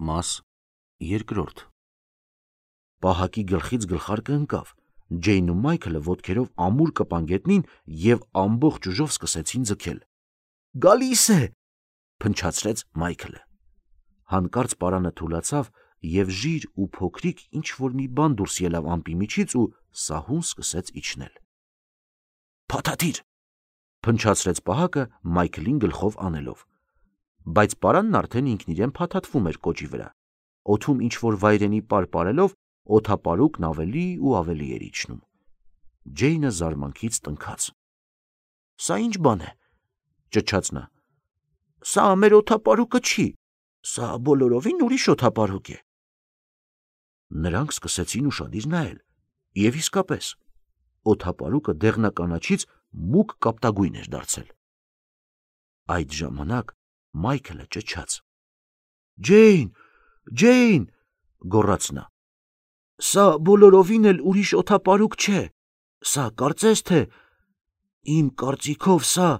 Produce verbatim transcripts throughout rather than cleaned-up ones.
Մաս երկրորդ Պահակի գլխից գլխարկը ընկավ, Ջեյնն ու Մայքլը ոտքերով ամուր կպան գետնին և ամբողջ ուժով սկսեցին ձգել։ «Գալիս է!» փնչացրեց Մայքլը։ Հանկարծ պարանը թուլացավ և ժիր ու փոքրիկ ինչ-որ մի բան դուրս ելավ ամպի միջից ու սահուն սկսեց իջնել։ «Փաթաթիր!» փնչացրեց Պահակը Մայքլին գլխով անելով։ Բայց պարանն արդեն ինքն իրեն փաթաթվում էր կոճի վրա։ Օդում ինչ-որ վայրենի պար պարելով օդապարուկն ավելի ու ավելի էր իջնում։ Ջեյնը զարմանքից տնքաց։ «Սա ինչ բան է?» ճչաց նա։ «Սա մեր օդապարուկը չի, սա բոլորովին ուրիշ օդապարուկ է»։ Նրանք սկսեցին ուշադիր նայել, և իսկապես, օդապարուկը դեղնականաչից մուգ կապտագույն էր դարձել։ Այդ ժամանակ Մայքլը ճչաց. «Ջեյն, Ջեյն», գոռաց նա, «սա բոլորովին էլ ուրիշ օդապարուկ չէ, սա կարծես թե, իմ կարծիքով սա…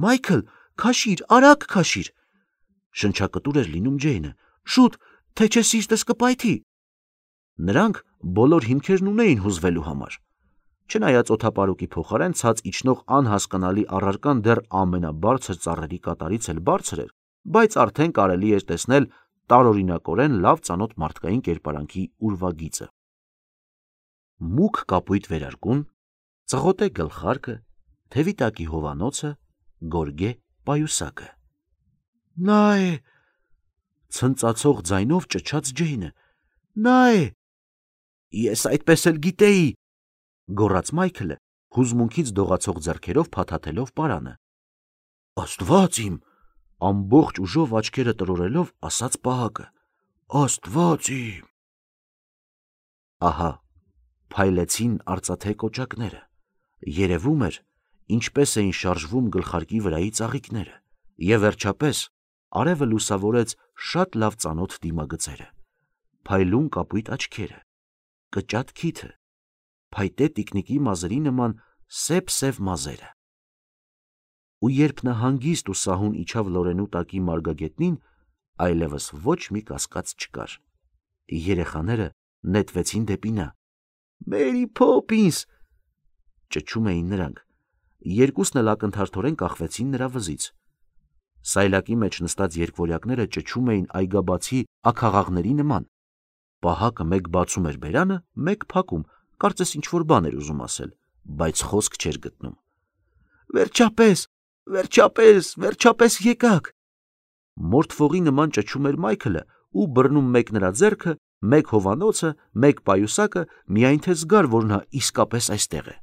Մայքլ, քաշիր, արագ քաշիր», շնչակտուր էր լինում Ջեյնը, «շուտ, թե չէ սիրտս կպայթի»։ Նրանք բոլոր հիմքերն ունեին հուզվելու համար։ Չնայած օդապարուկի փոխարեն ցած իջնող անհասկանալի առարկան դեռ ամենաբարձր ծառերի կատարից էլ բարձր էր, բայց արդեն կարելի էր տեսնել տարօրինակորեն լավ ծանոթ մարդկային կերպարանքի ուրվագիծը։ Մուգ կապույտ վերարկուն, ծղոտե գլխարկը, թևի տակի հովանոցը, գորգե պայուսակը։ «Նա է!» ցնծացող ձայնով ճչաց Ջեյնը։ «Նա է!» «Ես այդպես էլ գիտեի», գոռաց Մայքլը, հուզմունքից դողացող ձեռքերով փաթաթելով պարանը։ «Աստված իմ», ամբողջ ուժով աչքերը տրորելով ասաց Պահակը, «Աստված իմ»։ Ահա փայլեցին արծաթե կոճակները։ Երևում էր, ինչպես էին շարժվում գլխարկի վրայի ծաղիկները, և վերջապես արևը լուսավորեց շատ լավ ծանոթ դիմագծերը, փայլուն կապույտ աչքերը, կճատ քիթը, փայտե տիկնիկի մազերի նման սև-սև մազերը։ Ու երբ նա հանգիստ ու սահուն իջավ լորենու տակի մարգագետնին, այլևս ոչ մի կասկած չկար։ Երեխաները նետվեցին դեպի նա։ «Մերի Փոփինս», ճչում էին նրանք։ Երկուսն էլ ակնթարթորեն կախվեցին նրա վզից։ Սայլակի մեջ նստած երկվորյակները ճչում էին այգաբացի աքաղաղների նման։ Պահակը մեկ բացում էր բերանը, մեկ փակում, կարծես ինչ-որ բան էր ուզում ասել, բայց խոսք չէր գտնում։ «Վերջապես, վերջապես, վերջապես եկաք»։ Մորթվողի նման ճչում էր Մայքլը ու բռնում մեկ նրա ձեռքը, մեկ հովանոցը, մեկ պայուսակը, միայն թե զգար, որ նա իսկապես այստեղ է։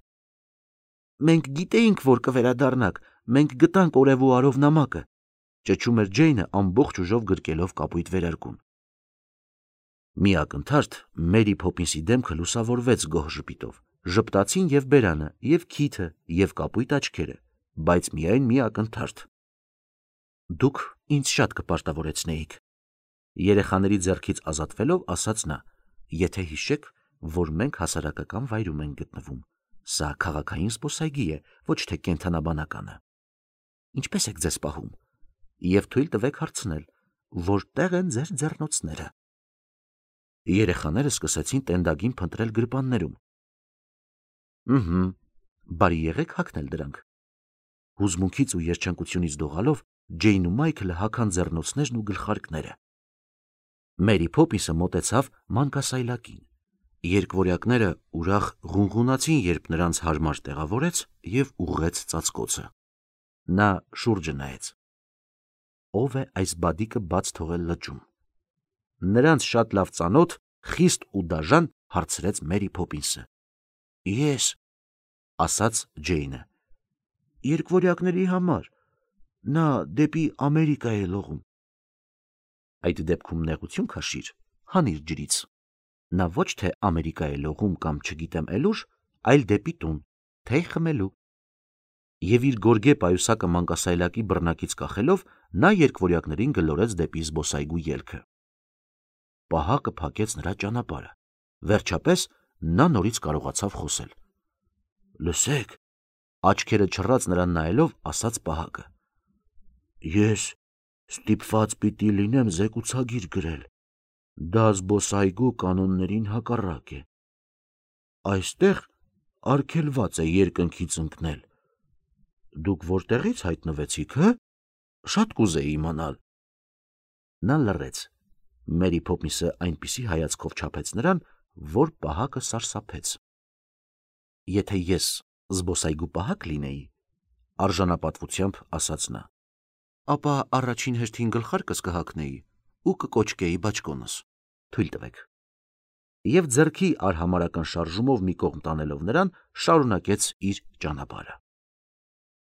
«Մենք գիտեինք, որ կվերադառնաք, մենք գտանք օրև ու արով նամակը», ճչում էր Ջեյնը ամբողջ ուժով գրկելով կապույտ վերարկուն։ Մի ակնթարթ Մերի Փոփինսի դեմքը լուսավորվեց գոհ ժպիտով, ժպտացին և բերանը, և քիթը, և կապույտ աչքերը, բայց միայն մի ակնթարթ. «Դուք ինձ շատ կպարտավորեցնեիք»։ Երեխաների ձեռքից ազատվելով ասաց նա. «Եթե հիշեք, որ մենք հասարակական վայրում ենք գտնվում, սա քաղաքային զբոսայգի է, ոչ թե կենդանաբանականը։ Ինչպե՞ս եք ձեզ պահում, և թույլ տվեք հարցնել, որտե՞ղ են ձեր ձեռնոցները»։ Երեխաները սկսեցին տենդագին փնտրել գրպաններում։ «Ըհը, բարի եղեք հագնել դրանք»։ Հուզմունքից ու երջանկությունից դողալով Ջեյնն ու Մայքլը հագան ձեռնոցներն ու գլխարկները։ Մերի Փոփինսը մոտեցավ մանկասայլակին։ Երկվորյակները ուրախ ղունղունացին, երբ նրանց հարմար տեղավորեց և ուղղեց ծածկոցը։ Նա շուրջը նայեց։ Ո՞վ է այս բադիկը բաց թողել լճում։ Նրանց շատ լավ ծանոթ, խիստ ու դաժան հարցրեց Մերի Փոփինսը։ «Ես», ասաց Ջեյնը, «երկվորյակների համար, նա դեպի Ամերիկա է լողում»։ Այդ դեպքում նեղություն քաշիր, հանիր ջրից։ Նա ոչ թե Ամերիկա է լողում կամ չգիտեմ էլ ուր, այլ դեպի տուն, թեյ խմելու։ Եվ իր գորգե պայուսակը մանկասայլակի բռնակից կախելով, նա երկվորյակներին գլորեց դեպի զբոսայգու ելքը։ Պահակը փակեց նրա ճանապարհը։ Վերջապես նա նորից կարողացավ խոսել։ «Լսեք», աչքերը չռած նրան նայելով, ասաց Պահակը, «ես ստիպված պիտի լինեմ զեկուցագիր գրել, Դա զբոսայգու կանոններին հակառակ է։ Այստեղ արգելված է երկնքից ընկնել։ Դուք որտեղից հայտնվեցիք, հը? Շատ կուզեի իմանալ։ Նա լռեց։ Մերի Փոփինսը այնպիսի հայացքով չափեց նրան, որ պահակը սարսափեց։ Եթե ես զբոսայգու պահակ լինեի, արժանապատվությամբ ասաց նա, ապա առաջին հերթին գլխարկս կհագնեի ու կկոչկեի բաճկոնս։ Թույլ տվեք։ Եվ ձեռքի արհամարական շարժումով մի կողմ տանելով նրան, շարունակեց իր ճանապարհը։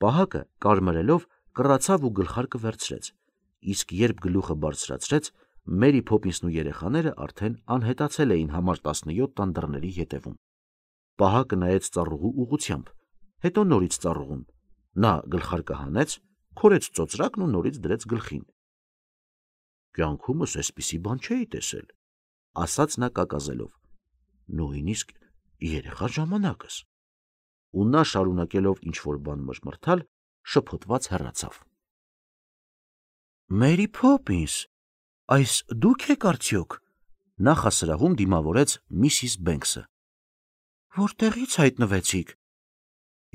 Պահակը կարմրելով կռացավ ու գլխարկը վերցրեց, իսկ երբ գլուխը բարձրացրեց, Մերի Փոփինսն ու երեխաները արդեն անհետացել էին համար տասնյոթ տան դռների ետևում։ Պահակը նայեց ծառուղու ուղղությամբ, հետո նորից ծառուղուն։ Նա գլխարկը հանեց, քորեց ծոծրակն ու նորից դրեց գլխին։ Կյանքումս էսպիսի բան չէի տեսել, ասաց նա կակազելով, նույնիսկ երեխա ժամանակս։ Ու նա շարունակելով ինչ-որ բան մրմրթալ, շփոթված հեռացավ։ Մերի Փոփինս, այս դուք եք արդյոք, նախասրահում դիմավորեց միսիս Բենքսը։ Որտեղից հայտնվեցիք։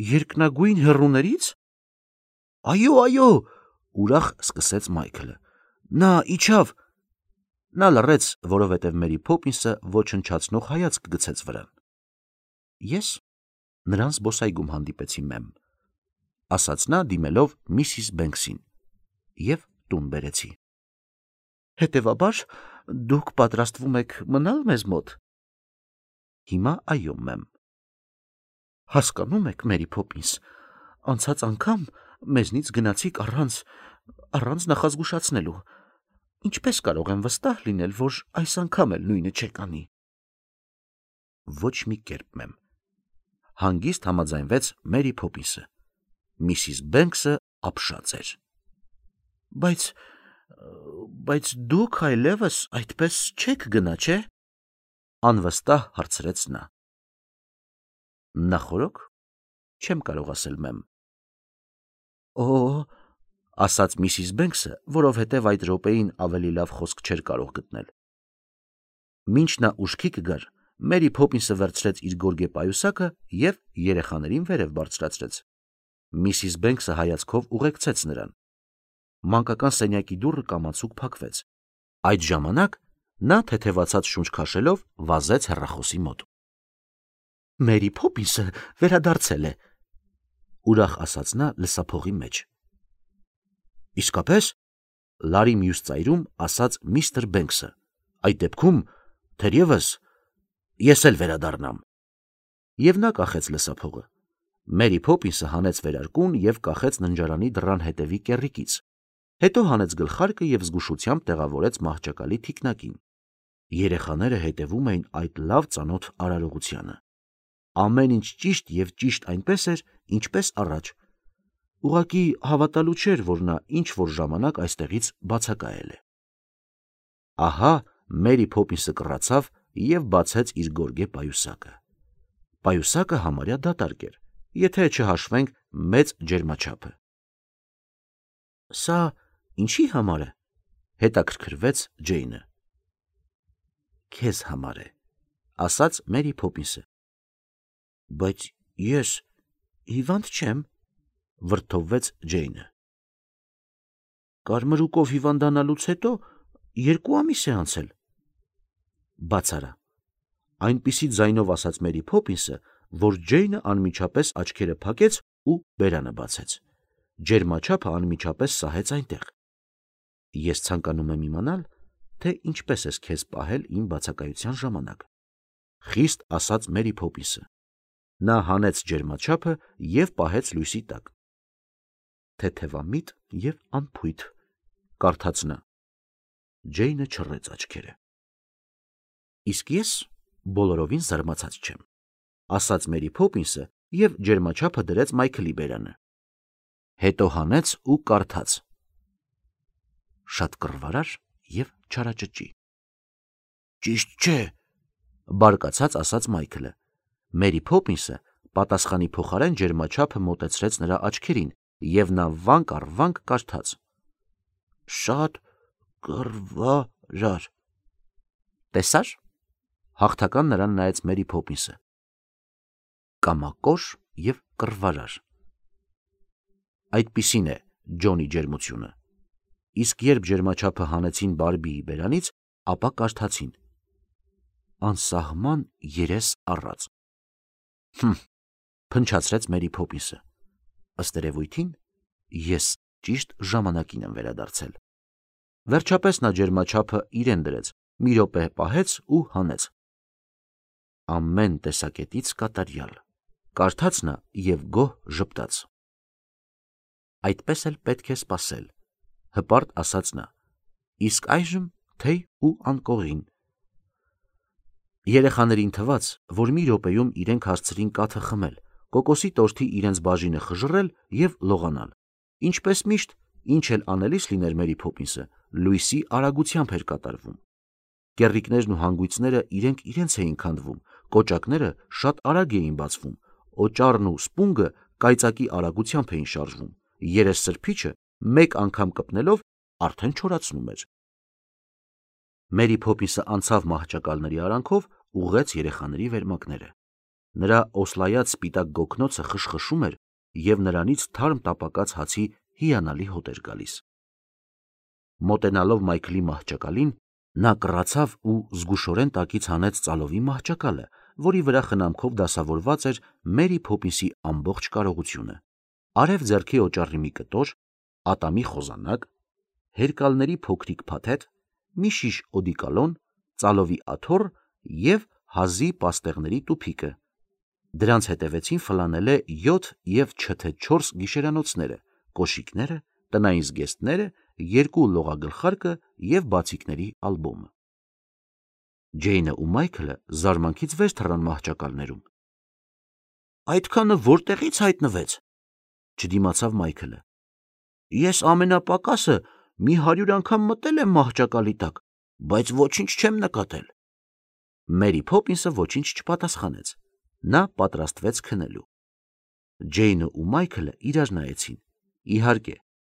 Երկնագույն հեռուներից։ Այո, այո, ուրախ սկսեց Մայքլը։ Նա իջավ։ Նա լռեց, որովհետև Մերի Փոփինսը ոչնչացնող հայացք գցեց վրան։ Ես նրան զբոսայգում հանդիպեցի, մեմ, ասաց նա դիմելով միսիս Բենքսին, և տուն բերեցի։ Հետևաբար դուք պատրաստվում եք մնալ մեզ մոտ։ Հիմա այո, մեմ։ Հասկանում եք, Մերի Փոփինս, անցած անգամ մեզնից գնացիք առանց առանց նախազգուշացնելու։ Ինչպես կարող եմ վստահ լինել, որ այս անգամ էլ նույնը չեք անի։ Ոչ մի կերպ, մեմ, հանգիստ համաձայնվեց Մերի Փոփինսը։ Միսիս Բենքսը ապշած էր։ Բայց բայց դուք այլևս այդպես չեք գնա, չէ՞։ Անվստահ հարցրեց նա։ Նախորոք չեմ կարող ասել, մեմ։ Օ, ասաց միսիս Բենքսը, որովհետև այդ րոպեին ավելի լավ խոսք չէր կարող գտնել։ Մինչ նա ուշքի կգար, Մերի Փոփինսը վերցրեց իր գորգե պայուսակը և երեխաներին վերև բարձրացրեց։ Միսիս Բենքսը հայացքով ուղեկցեց նրան։ Մանկական սենյակի դուռը կամացուկ փակվեց։ Այդ ժամանակ նա թեթևացած շունչ քաշելով վազեց հեռախոսի մոտ։ Մերի Փոփինսը վերադարձել է, ուրախ ասաց նա լսափողի մեջ։ Իսկապես, լարի մյուս ծայրում ասաց միստր Բենքսը, այդ դեպքում, թերևս, ես էլ վերադառնամ։ Եվ նա կախեց լսափողը։ Մերի Փոփինսը հանեց վերարկուն և կախեց ննջարանի դռան հետևի կեռիկից, հետո հանեց գլխարկը և զգուշությամբ տեղավորեց մահճակալի թիկնակին։ Երեխաները հետևում էին այդ լավ ծանոթ արարողությանը։ Ամեն ինչ ճիշտ և ճիշտ այնպես էր, ինչպես առաջ։ Ուղղակի հավատալու չէր, որ նա ինչ-որ ժամանակ այստեղից բացակայել է։ Ահա Մերի Փոփինսը կռացավ և բացեց իր գորգե պայուսակը։ Պայուսակը համարյա դատարկ էր, եթե չհաշվենք մեծ ջերմաչափը։ Սա ինչի համար է, հետաքրքրվեց Ջեյնը։ Քեզ համար է, ասաց Մերի Փոփինսը։ Բայց ես հիվանդ չեմ, վրդովվեց Ջեյնը։ Կարմրուկով հիվանդանալուց հետո երկու ամիս է անցել։ Բաց արա, այնպիսի ձայնով ասաց Մերի Փոփինսը, որ Ջեյնը անմիջապես աչքերը փակեց ու բերանը բացեց։ Ջերմաչափը անմիջապես սահեց այնտեղ։ Ես ցանկանում եմ իմանալ, թե ինչպես ես քեզ պահել իմ բացակայության ժամանակ, խիստ ասաց Մերի Փոփինսը։ Նա հանեց ջերմաչափը և պահեց լույսի տակ։ Թեթևամիտ և անփույթ, կարդաց նա։ Ջեյնը չռեց աչքերը։ Իսկ ես բոլորովին զարմացած չեմ, ասաց Մերի Փոփինսը և ջերմաչափը դրեց Մայքլի բերանը։ Հետո հանեց ու կարդաց. Շատ կռվարար և չարաճճի։ Ճիշտ չէ, բարկացած ասաց Մայքլը։ Մերի Փոփինսը պատասխանի փոխարեն ջերմաչափը մոտեցրեց նրա աչքերին, և նա վանք առ վանք կարդաց. Շատ կռվարար։ Տեսա՞ր։ Հաղթական նրան նայեց Մերի Փոփինսը։ Կամակոր եւ կռվարար։ Այդպիսին է Ջոնի ջերմությունը։ Իսկ երբ ջերմաչափը հանեցին Բարբիի բերանից, ապա կարդացին. անսահման երես առած։ Հմ, փնչացրեց Մերի Փոփինսը։ Ըստ երևույթին, ես ճիշտ ժամանակին եմ վերադարձել։ Վերջապես նա ջերմաչափը իրեն դրեց, մի րոպե պահեց ու հանեց։ Ամեն տեսակետից կատարյալ, կարդաց նա եւ գոհ ժպտաց։ Այդպես էլ պետք է սպասել, հպարտ ասաց նա, իսկ այժմ թեյ ու անկողին։ Երեխաներին թվաց, որ մի րոպեում իրենք հասցրին կաթը խմել, կոկոսի տորթի իրենց բաժինը խժռել եւ լողանալ։ Ինչպես միշտ, ինչ էլ անելիս լիներ Մերի Փոփինսը, լույսի արագությամբ էր կատարվում։ Կեռիկներն ու հանգույցները իրենք իրենց էին քանդվում, կոճակները շատ արագ էին բացվում, օճառն ու սպունգը կայծակի արագությամբ էին շարժվում, երես սրբիչը մեկ անգամ կպնելով արդեն չորացնում էր։ Մերի Փոփինսը անցավ մահճակալների արանքով, ուղղեց երեխաների վերմակները։ Նրա օսլայած սպիտակ գոգնոցը խշխշում էր եւ նրանից թարմ տապակած հացի հիանալի հոտ էր գալիս։ Մոտենալով Մայքլի մահճակալին, նա կռացավ ու զգուշորեն տակից հանեց ծալովի մահճակալը, որի վրա խնամքով դասավորված էր Մերի Փոփինսի ամբողջ կարողությունը։ Արև ձեռքի օճառի մի կտոր, ատամի խոզանակ, հերկալների փոքրիկ փաթեթ, մի շիշ օդիկալոն, ծալովի աթոռ եւ հազի պաստեղների տուփիկը։ Դրանց հետևեցին ֆլանելե յոթ եւ չթե չորս գիշերանոցները, կոշիկները, տնային զգեստները, երկու լողագլխարկը եւ բացիկների ալբոմը։ Ջեյնը ու Մայքլը զարմանքից վեր թռան մահճակալներում։ Այդքանը որտեղից հայտնվեց, չդիմացավ Մայքլը։ Ես ամենապակասը մի հարյուր անգամ մտել եմ մահճակալի տակ, բայց ոչինչ չեմ նկատել։ Մերի Փոփինսը ոչինչ չպատասխանեց։ Նա պատրաստվեց քնելու։ Ջեյնը ու Մայքլը իրար նայեցին։ Իհարկե,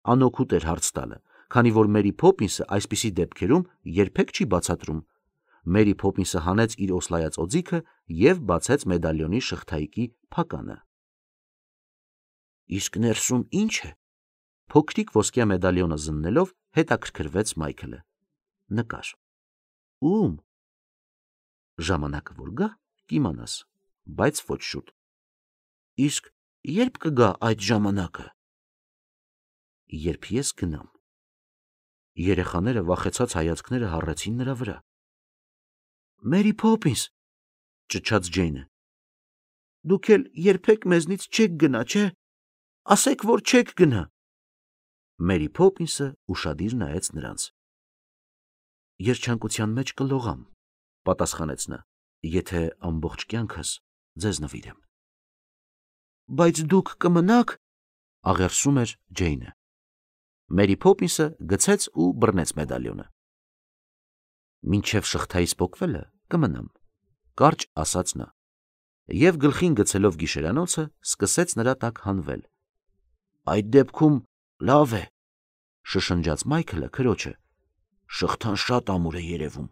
անօգուտ էր հարց տալը, քանի որ Մերի Փոփինսը այսպիսի դեպքերում երբեք չի բացատրում։ Մերի Փոփինսը հանեց իր օսլայած օձիքը եւ բացեց մեդալյոնի շղթայիկի փականը։ Իսկ ներսում ի՞նչ է։ Փոքրիկ ոսկյա մեդալյոնը զննելով հետաքրքրվեց Մայքլը։ Նկար։ Ում։ Ժամանակը որ գա, կիմանաս, բայց ոչ շուտ։ Իսկ երբ կգա այդ ժամանակը։ Երբ ես գնամ։ Երեխաները վախեցած հայացքները հառեցին նրա վրա։ Մերի Փոփինս, ճչաց Ջեյնը։ Դուք էլ երբեք մեզնից չեք գնա, չէ։ Ասեք, որ չեք գնա։ Մերի Փոփինսը ուշադիր նայեց նրանց։ Երջանկության մեջ կլողամ, պատասխանեց նա, եթե ամբողջ կյանքս ձեզ նվիրեմ։ Բայց դուք կմնաք, աղերսում էր Ջեյնը։ Մերի Փոփինսը գցեց ու բռնեց մեդալյոնը։ Մինչև շղթայից պոկվելը կմնամ, կարճ ասաց նա, եւ գլխին գցելով գիշերանոցը սկսեց նրա տակ հանվել։ Այդ դեպքում լավ է, շշնջաց Մայքլը քրոջը, շղթան շատ ամուր է երևում։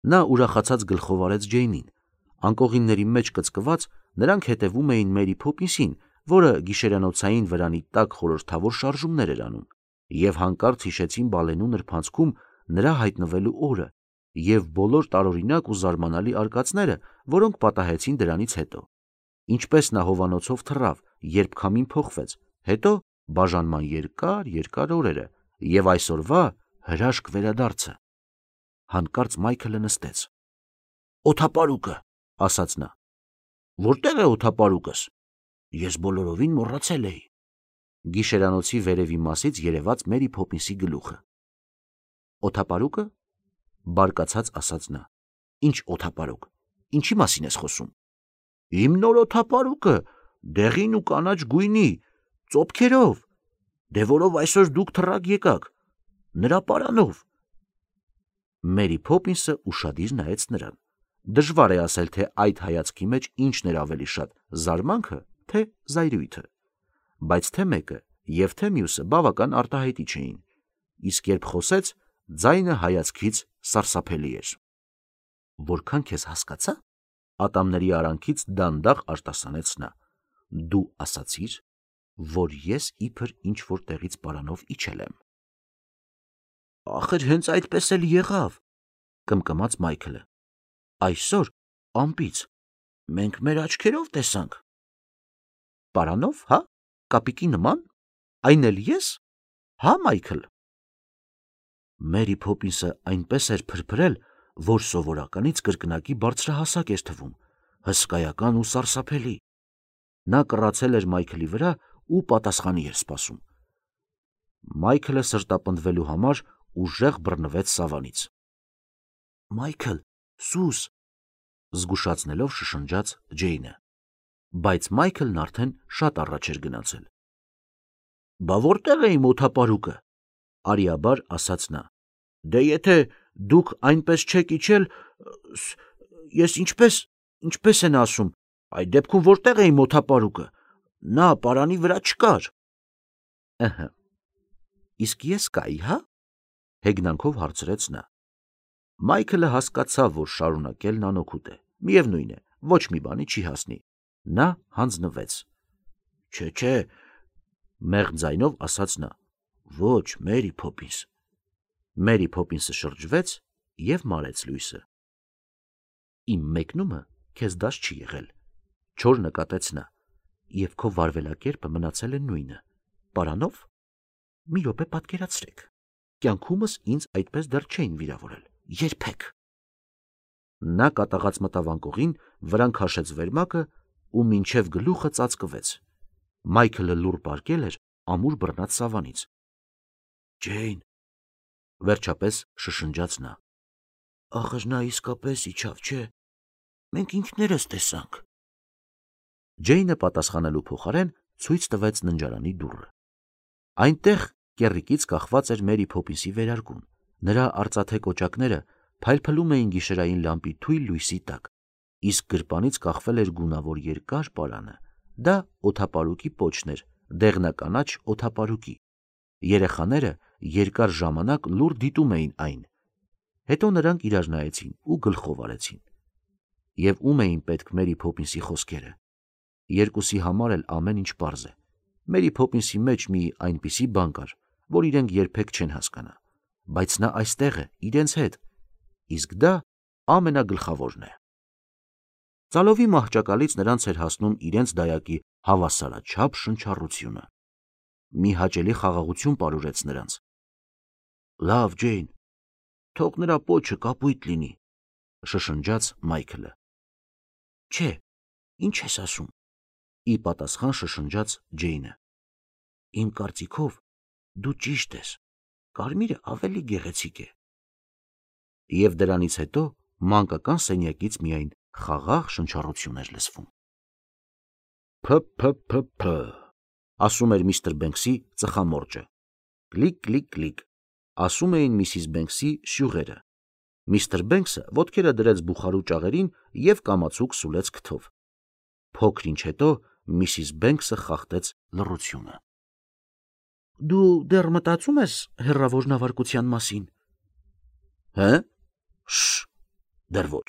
Նա ուրախացած գլխով արեց Ջեյնին։ Անկողինների մեջ կծկված նրանք հետևում էին Մերի Փոփինսին, որը գիշերանոցային վրանի տակ խորհրդավոր շարժումներ էր անում, եւ հանկարծ հիշեցին բալենու նրբանցքում նրա հայտնվելու օրը եւ բոլոր տարօրինակ ու զարմանալի արկածները, որոնք պատահեցին դրանից հետո։ Ինչպես նա հովանոցով թռավ, երբ քամին փոխվեց, հետո բաժանման երկար, երկար օրերը եւ այսօրվա հրաշք վերադարձը։ Հանկարծ Մայքլը նստեց։ Օթապարուկը, ասաց նա։ Որտեղ է օթապարուկս։ Ես բոլորովին մոռացել էի։ Գիշերանոցի վերևի մասից երևաց Մերի Փոփինսի գլուխը։ Օթապարուկը, բարկացած ասաց նա։ Ինչ օթապարուկ։ Ինչի մասին ես խոսում։ Իմ նոր օթապարուկը, դեղին ու կանաչ գույնի, ծոփքերով։ Դե որով այսօր դուք թռակ եկաք։ Նրա պարանով։ Մերի Փոփինսը ուշադիր նայեց նրան։ Դժվար է ասել, թե այդ հայացքի մեջ ինչն էր ավելի շատ՝ զարմանքը, թե զայրույթը։ Բայց թե մեկը եւ թե մյուսը բավական արտահայտիչ էին։ Իսկ երբ խոսեց, ձայնը հայացքից սարսափելի էր։ Որքան քեզ հասկացա, ատամների արանքից դանդաղ արտասանեց նա։ Դու ասացիր, որ ես իբր ինչ-որ տեղից պարանով իջել եմ։ Ախր հենց այդպես էլ եղավ, կմկմաց Մայքլը։ Այսօր ամպից մենք մեր աչքերով տեսանք։ Պարանով, հա, կապիկի նման, այն էլ ես, հա, Մայքլ։ Մերի Փոփինսը այնպես էր փրփրել, որ սովորականից կրկնակի բարձրահասակ էր թվում, հսկայական ու սարսափելի։ Նա կռացել էր Մայքլի վրա ու պատասխանի էր սպասում։ Մայքլը սրտապնդվելու համար ուժեղ բռնվեց սավանից։ Մայքլ, սուս, զգուշացնելով շշնջաց Ջեյնը, բայց Մայքլն արդեն շատ առաջ էր գնացել։ Բա որտեղ է իմ օդապարուկը, արիաբար ասաց նա։ Դե եթե դուք այնպես չեք իջել, ես ինչպես, ինչպես են ասում, այդ դեպքում որտեղ է իմ օդապարուկը, նա պարանի վրա չկար։ Ըհը, իսկ ես կայի, հա, հեգնանքով հարցրեց նա։ Մայքլը հասկացավ, որ շարունակելն անօգուտ է, միևնույն է, ոչ մի բանի չի հասնի։ Նա հանձնվեց։ Չէ, չէ, մեղմ ձայնով ասաց նա, ոչ, Մերի Փոփինս։ Մերի Փոփինսը շրջվեց և մարեց լույսը։ Իմ մեկնումը քեզ դաս չի եղել, չոր նկատեց նա, և քո վարվելակերպը մնացել է նույնը։ Պարանով։ Մի րոպե պատկերացրեք, կյանքումս ինձ այդպես դեռ չէին վիրավորել, երբեք։ Նա կատաղած մտավ անկողին, վրան քաշեց վերմակը ու մինչև գլուխը ծածկվեց։ Մայքլը լուռ պառկել էր ամուր բռնած սավանից։ Ջեյն, վերջապես շշնջաց նա, ախր նա իսկապես իջավ, չէ, մենք ինքներս տեսանք։ Ջեյնը պատասխանելու փոխարեն ցույց տվեց ննջարանի դուռը։ Այնտեղ կեռիկից կախված էր Մերի Փոփինսի վերարկուն, նրա արծաթե կոճակները փայլփլում էին գիշերային լամպի թույլ լույսի տակ, իսկ գրպանից կախվել էր գունավոր երկար պարանը։ Դա օդապարուկի պոչն էր, դեղնականաչ օդապարուկի։ Երեխաները երկար ժամանակ լուռ դիտում էին այն։ Հետո նրանք իրար նայեցին ու գլխով արեցին։ Եվ ում էին պետք Մերի Փոփինսի խոսքերը։ Երկուսի համար էլ ամեն ինչ պարզ է։ Մերի Փոփինսի մեջ մի այնպիսի բան կար, որ իրենք երբեք չեն հասկանա, բայց նա այստեղ է, իրենց հետ, իսկ դա ամենագլխավորն է։ Ծալովի մահճակալից նրանց էր հասնում իրենց դայակի հավասարաչափ շնչառությունը։ Մի հաճելի խաղաղություն պարուրեց նրանց։ Լավ, Ջեյն, թող նրա պոչը կապույտ լինի, շշնջաց Մայքլը։ Չէ, ինչ ես ասում, ի պատասխան շշնջաց Ջեյնը։ Իմ կարծիքով դու ճիշտ ես, կարմիրը ավելի գեղեցիկ է։ Եվ դրանից հետո մանկական սենյակից միայն խաղաղ շնչառություն էր լսվում։ Փ-փ-փ-փ, ասում էր միստր Բենքսի ծխամորճը։ Կլիկ-կլիկ-կլիկ, ասում էին միսիս Բենքսի շյուղերը։ Միստր Բենքսը ոտքերը դրեց բուխարու ճաղերին և կամացուկ սուլեց քթով։ Փոքր ինչ հետո միսիս Բենքսը խախտեց լռությունը։ Դու դեռ մտածում ես հեռավոր նավարկության մասին։ Հը՞։ Շ, դեռ ոչ։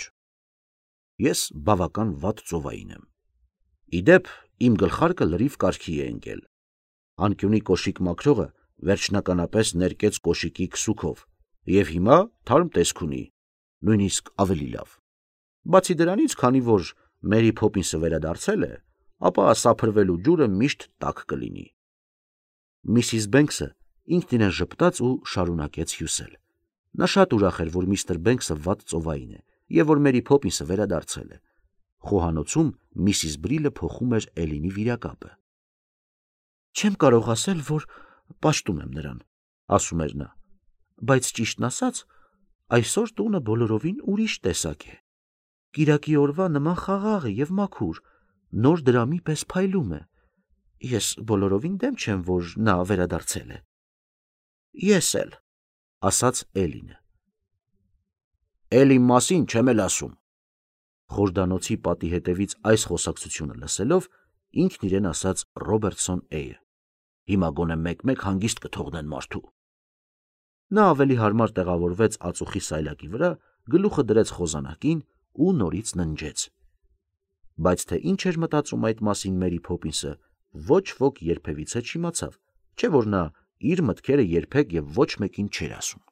Ես բավական վատ ծովային եմ։ Իդեպ, իմ գլխարկը լրիվ կարգի է ընկել։ Անկյունի կոշիկ մաքրողը վերջնականապես ներկեց կոշիկի քսուքով, և հիմա թարմ տեսք ունի, նույնիսկ ավելի լավ։ Բացի դրանից, քանի որ Մերի Փոփինսը վերադարձել է, ապա սափրվելու ջուրը միշտ տաք կլինի։ Միսիս Բենքսը ինքն իրեն ժպտաց ու շարունակեց հյուսել։ Նա շատ ուրախ էր, որ միստր Բենքսը վատ ծովային է և որ Մերի Փոփինսը վերադարձել է։ Խոհանոցում միսիս Բրիլը փոխում էր Էլինի վիրակապը։ Չեմ կարող ասել, որ պաշտում եմ նրան, ասում էր նա, բայց ճիշտն ասած, այսօր տունը բոլորովին ուրիշ տեսակ է։ Կիրակի օրվա նման խաղաղ է և մաքուր, նոր դրամի պես փայլում է։ Ես բոլորովին դեմ չեմ, որ նա վերադարձել է։ Ես էլ, ասաց Էլինը։ Էլ իմ մասին չեմ էլ ասում։ Խորհրդանոցի պատի հետևից այս խոսակցությունը լսելով, ինքն իրեն ասաց Ռոբերտսոն Էյը։ Հիմա գոնե մեկ-մեկ հանգիստ կթողնեն մարդու։ Նա ավելի հարմար տեղավորվեց ածուխի սայլակի վրա, գլուխը դրեց խոզանակին ու նորից ննջեց։ Բայց թե ինչ էր մտածում այդ մասին Մերի Փոփինսը, ոչ ոք երբևիցե չիմացավ, չէ՞ որ նա իր մտքերը երբեք եւ ոչ մեկին չէր ասում։